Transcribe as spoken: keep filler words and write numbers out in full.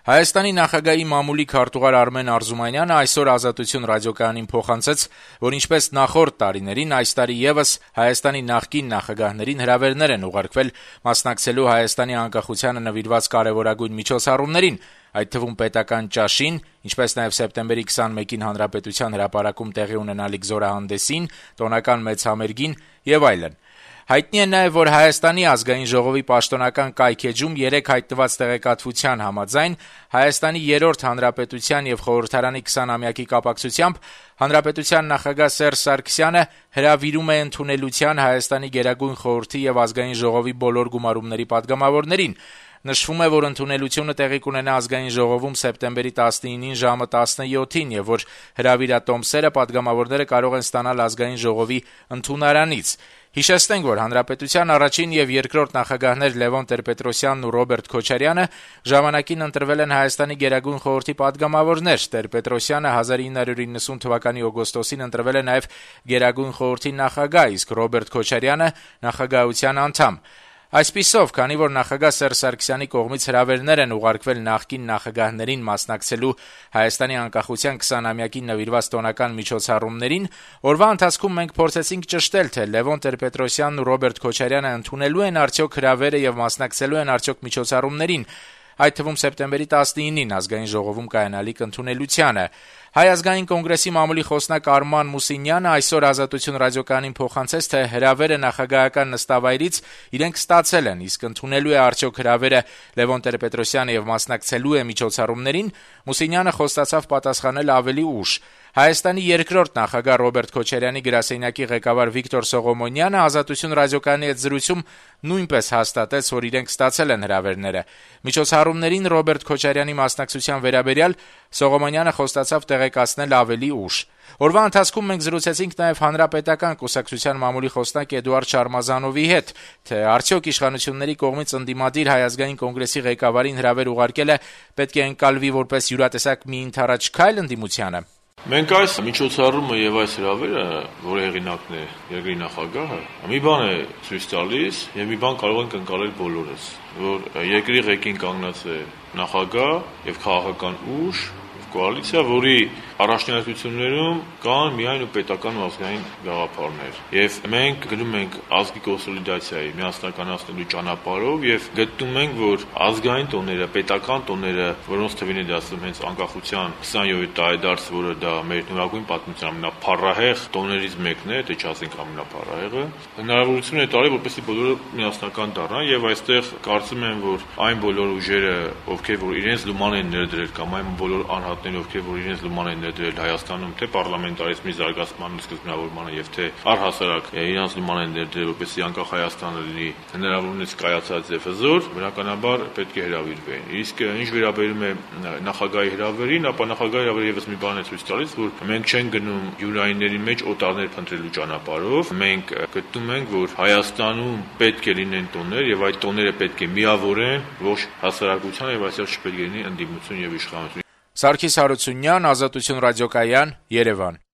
Հայաստանի նախագահի մամուլի քարտուղար Արմեն Արզումանյանը այսօր «Ազատություն» ռադիոկայանին փոխանցեց, որ ինչպես նախորդ տարիներին, այս տարի եւս Հայաստանի նախկին նախագահներին հրավերներ են ուղարկվել մասնակցելու Հայաստանի անկախությանը նվիրված կարեւորագույն միջոցառումներին, այդ թվում պետական ճաշին, ինչպես նաեւ սեպտեմբերի քսանմեկին Հանրապետության հրապարակում տեղի ունենալիք զորահանդեսին, տոնական մեծ համերգին եւ այլն։ Հայտնի է նաեւ, որ Հայաստանի ազգային ժողովի պաշտոնական կայքէջում երեկ հայտնված տեղեկատվության համաձայն Հայաստանի երրորդ հանրապետության եւ խորհրդարանի քսանամյակի կապակցությամբ Հանրապետության նախագահ Սերժ Սարգսյանը հրավիրում է ընդունելության Հայաստանի Գերագույն խորհրդի եւ ազգային ժողովի բոլոր գումարումների պատգամավորներին։ Նշվում է, որ ընդունելությունը տեղի կունենա ազգային ժողովում սեպտեմբերի տասնինին ժամը տասնյոթին եւ որ հրավիրատոմսերը պատգամավորները կարող են ստանալ ազգային ժողովի ընդունարանից։ Հիշեցնենք, որ Հանրապետության առաջին եւ երկրորդ նախագահներ Լևոն Տեր-Պետրոսյանն ու Ռոբերտ Քոչարյանը ժամանակին ընտրվել են Հայաստանի Գերագույն խորհրդի պատգամավորներ։ Տեր-Պետրոսյանը հազար ինը հարյուր իննսուն թվականի օգոստոսին ընտրվել է նաեւ Գերագույն խորհրդի նախագահ, իսկ Ռոբերտ Քոչարյանը նախագահության անդամ։ Այսպիսով, քանի որ նախագահ Սերժ Սարգսյանի կողմից հրավերներ են ուղարկվել նախկին նախագահներին մասնակցելու Հայաստանի անկախության քսանամյակին նվիրված տոնական միջոցառումներին, օրվա ընթացքում մենք փորձեցինք ճշտել, թե Լևոն Տեր-Պետրոսյանն ու Ռոբերտ Քոչարյանը ընդունելու են արդյոք հրավերը եւ մասնակցելու են արդյոք միջոցառումներին, այդ թվում սեպտեմբերի տասնինին ազգային ժողովում կայանալիք ընդունելությանը։ Հայ ազգային կոնգրեսի մամուլի խոսնակ Արման Մուսինյանը այսօր «Ազատություն» ռադիոկայանին փոխանցեց, թե հրավերը նախագահական նստավայրից իրենք ստացել են, իսկ ընդունելու է արդյոք հրավերը Լևոն Տեր-Պետրոսյանը եւ մասնակցելու է միջոցառումներին, Մուսինյանը խոստացավ պատասխանել ավելի ուշ։ Հայաստանի երկրորդ նախագահ Ռոբերտ Քոչարյանի գրասենյակի ղեկավար Վիկտոր Սողոմոնյանը «Ազատություն» ռադիոկայանի հետ զրույցում նույնպես հաստատեց, որ իրենք ստացել են հրավերները։ Միջոցառումներին Ռոբերտ Քոչարյանի մասնակցության վերաբերյալ Սողոմոնյանը խոստացավ տեղեկացնել ավելի ուշ։ Օրվա ընթացքում մենք զրուցեցինք նաեւ Հանրապետական կուսակցության մամուլի խոսնակ Էդուարդ Շարմազանովի հետ, թե արդյոք իշխանությունների կողմից ընդդիմադիր Հայ ազգային կոնգրեսի ղեկավարին հրավեր ուղարկելը պետք է ընկալվի որպես յուրատեսակ մի ընդառաջ քայլ ընդդիմությանը։ Մենք այս միջոցառումը եւ այս հրավերը, որի հեղինակն է երկրի նախագահը, մի բան է ցույց տալիս եւ մի բան կարող ենք ընկալել բոլորս, որ երկրի ղեկին կանգնած է նախագահ եւ քաղաքական ուժ, կոալիցիա, որի առաջնահերթություններում կան միայն ու պետական ու ազգային գաղափարներ։ Եվ մենք գնում ենք ազգի կոնսոլիդացիայի միասնականացնելու ճանապարհով եւ գտնում ենք, որ ազգային տոները, պետական տոները, որոնց թվին է դասում հենց անկախության քսանյոթ տարեդարձ, որը դա մեր նորագույն պատմության ամենափառահեղ տոներից մեկն է, թե չասենք ամենափառահեղը, հնարավորություն է տալի, որպեսզի բոլորը միասնական դառնան եւ այստեղ կարծում եմ, որ այն բոլոր ուժերը, ովքեր որ իրենց լուման են ներդրել կամ այն բոլոր անհատները, ովքեր որ իրենց լուման են ներդրել Հայաստանում, թե պարլամենտարիզմի զարգացման սկզբնավորմանը եւ թե առհասարակ իրենց լուման են ներդրել, որպեսզի անկախ Հայաստանը լինի հնարավորինս կայացած եւ հզոր, բնականաբար պետք է հրավիրվեն։ Իսկ ինչ վերաբերում է նախագահի հրավերին, ապա նախագահի հրավերը եւս մի բան է ցույց տալիս, որ մենք չենք գնում յուրայինների մեջ օտարներ փնտրելու ճանապարհով, մենք գտնում ենք, որ Հայաստանում պետք է լինեն տոներ եւ այդ տոները պետք է միավորեն ոչ հասարակության եւ այսպես չպետք է լինի ընդդիմություն եւ իշխանություն։ Սարգիս Հարությունյան, «Ազատություն» ռադիոկայան, Երևան։